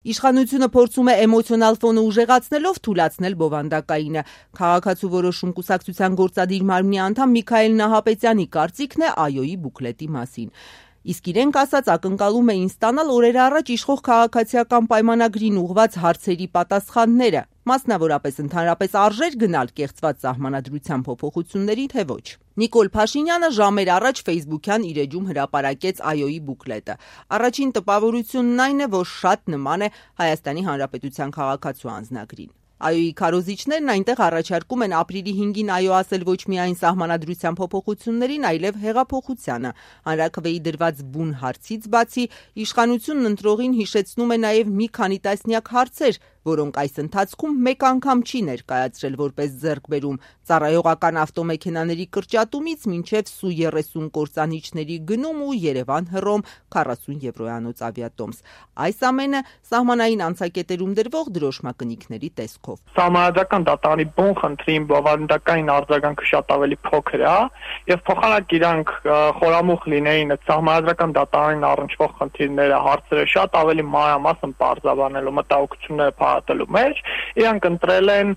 Իշխանությունը փորձում է էմոցիոնալ ֆոնը ուժեղացնելով թուլացնել բովանդակայինը։ Քաղաքացու որոշում կուսակցության գործադիր մարմնի անդամ Միքայել Նահապետյանի կարծիքն է ԱՅՈ-ի բուկլետի մասին։ Իսկ իրենք ասած ակնկալում էին ստանալ օրեր առաջ իշխող քաղաքացիական պայմանագրին ուղղված հարցերի պատասխանները, մասնավորապես ընդհանրապես արժեր գնալ կեղծված սահմանադրության փոփոխությունների, թե ոչ։ Նիկոլ Փաշինյանը ժամեր առաջ ֆեյսբուքյան իր էջում հրապարակեց ԱՅՈ-ի բուկլետը։ Առաջին տպավորությունն այն է, որ շատ նման է Հայաստանի Հանրապետության քաղաքացու անձնագրին։ ԱՅՈ-ի քարոզիչներն այնտեղ առաջարկում են ապրիլի 5-ին ԱՅՈ ասել ոչ միայն սահմանադրության փոփոխություններին, այլև հեղափոխությանը։ Հանրաքվեի դրված բուն հարցից բացի իշխանությունն ընտրողին հիշեցնում է նաև մի քանի տասնյակ հարցեր, որոնք այս ընթացքում մեկ անգամ չի ներկայացրել որպես ձեռքբերում՝ ծառայողական ավտոմեքենաների կրճատումից մինչև Սու-30 կործանիչների գնում ու Երևան-Հռոմ 40 եվրոյանոց ավիատոմս։ Այս ամենը սահմանային անցակետերում դրվող դրոշմակնիքների տեսքով։ Սահմանադրական դատարանի բուն խնդրին բովանդակային արձագանքը շատ ավելի փոքր է, եւ փոխանակ իրանք խորամուխ լինեին այդ սահմանադրական դատարանին առնչվող խնդիրները, հարցերը շատ ավելի մանրամասն պարզաբանելու, մտահոգությունները փարատելու մեջ, իրանք ընտրել են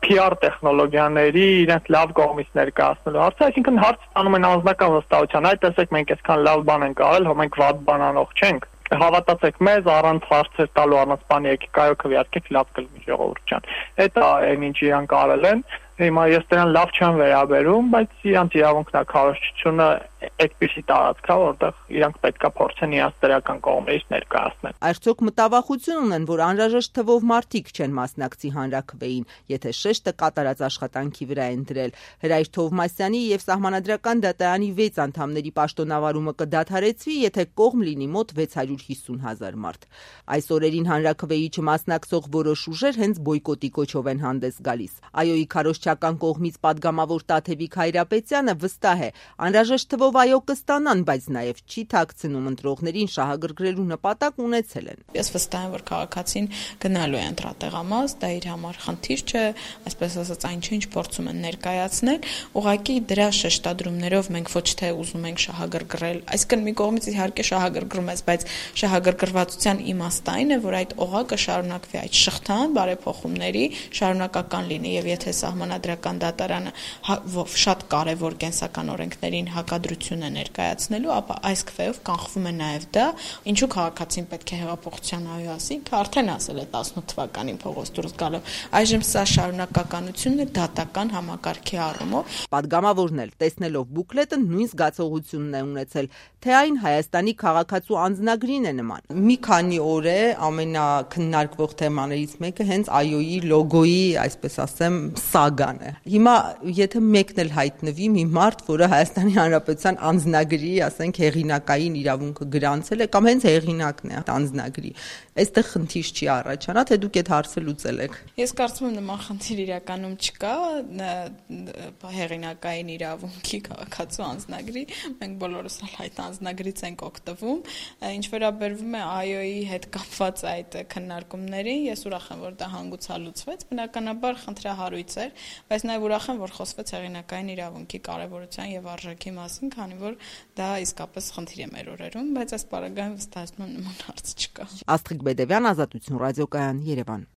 PR տեխնոլոգիաների իրենց լավ կողմից ներկայացնելու հարցը, այսինքն հարց ստանում են անձնական վստահության, այ տեսեք մենք այսքան լավ բան ենք արել, հո մենք վատ բան անող չենք, հավատացեք մեզ, առանց հարցեր տալու, առանց բանի եկեք այո քվեարկեք, լավ կլինի ժողովուրդ ջան։ Դա այն ինչ իրանք արել են, հիմա ես դրան լավ չեմ վերաբերում, բայց իրանք իրավունքն է, քարոզչությունը այդպիսի տարածք է, որտեղ իրանք պետքա փորձեն իրենց դրական կողմերից ներկայացնել։ Արդյոք մտավախություն ունեն, որ անհրաժեշտ թվով մարդիկ չեն մասնակցի հանրաքվեին, եթե շեշտը կատարած աշխատանքի վրա են դրել։ Հրայր Թովմասյանի եւ Սահմանադրական դատարանի 6 անդամների պաշտոնավարումը կդադարեցվի, եթե կողմ լինի մոտ 650,000 մարդ։ Այս օրերին հանրաքվեի չմասնակցող որոշ ուժեր հենց բոյկոտի կոչով են հանդես գալիս։ ԱՅՈ-ի քարոզչական կողմից падգամավոր Տաթևիկ Հայրապետյանը վստահ է, անհրաժեշտ թվով ԱՅՈ կստանան, բայց նաև չի թաքցնում ընտրողներին շահագրգռելու նպատակ ունեցել են։ Ես վստահ եմ, որ քաղաքացին գնալու է ընտրատեղամաս, դա իր համար խնդիր չէ, այսպես ասած այն ինչ փորձում են ներկայացնել, ուղղակի դրա շեշտադրումներով մենք ոչ թե ուզում ենք շահագրգռել, այսինքն մի կողմից իհարկե շահագրգռում ես, բայց շահագրգռվածության իմաստը այն է, որ այդ օղակը շարունակվի, այդ շղթան բարեփոխումների շարունակական լինի, եւ եթե Սահմանադրական դատարանը շատ կարևոր կենսական օրենքներին հակադրություն է ներկայացնելու, ապա այս քվեով կանխվում է նաև դա, ինչու քաղաքացին պետք է հեղափոխության ԱՅՈ ասի, ինքը արդեն ասել է 18 թվականին փողոց դուրս գալով։ Այժմ սա շարունակականությունն է դատական համակարգի առումով։ Պատգամավորն էլ տեսնելով բուկլետը նույն զգացողությունն է ունեցել, թե այն Հայաստանի քաղաքացու անձնագրին է նման։ Մի քանի օր է ամենակննարկվող թեմաներից մեկը հենց ԱՅՈ-ի լոգոյի, այսպես ասեմ, սագան է։ Հիմա եթե մեկն էլ հայտնվի մի մարդ, որը Հայաստանի Հանրապետության անձնագրի, ասենք, հեղինակային իրավունքը գրանցել է կամ հենց հեղինակն է անձնագրի, այստեղ խնդիր չի առաջանա, թե դուք այդ հարցը լուծել եք։ Ես կարծում եմ նման խնդիր իրականում չկա, հեղինակային իրավունքի քաղաքացու անձնագրի, մենք բոլորս այդ անձնագրից ենք օգտվում, ինչ վերաբերվում է ԱՅՈ-ի հետ կապված այդ քննարկումներին, ես ուրախ եմ, որ դա հանգուցալուծվեց, բնականաբար խնդրահարույց էր, բայց նաև ուրախ եմ, որ խոսվեց հեղինակային իրավունքի կարևորության եւ արժեքի մասին, քանի որ դա իսկապես խնդիր է մեր օրերում, բայց այս պարագայում վստահեցնում եմ նման հարց չկա։ Աստղիկ Բեդևյան, Ազատություն ռադիոկայան, Երևան։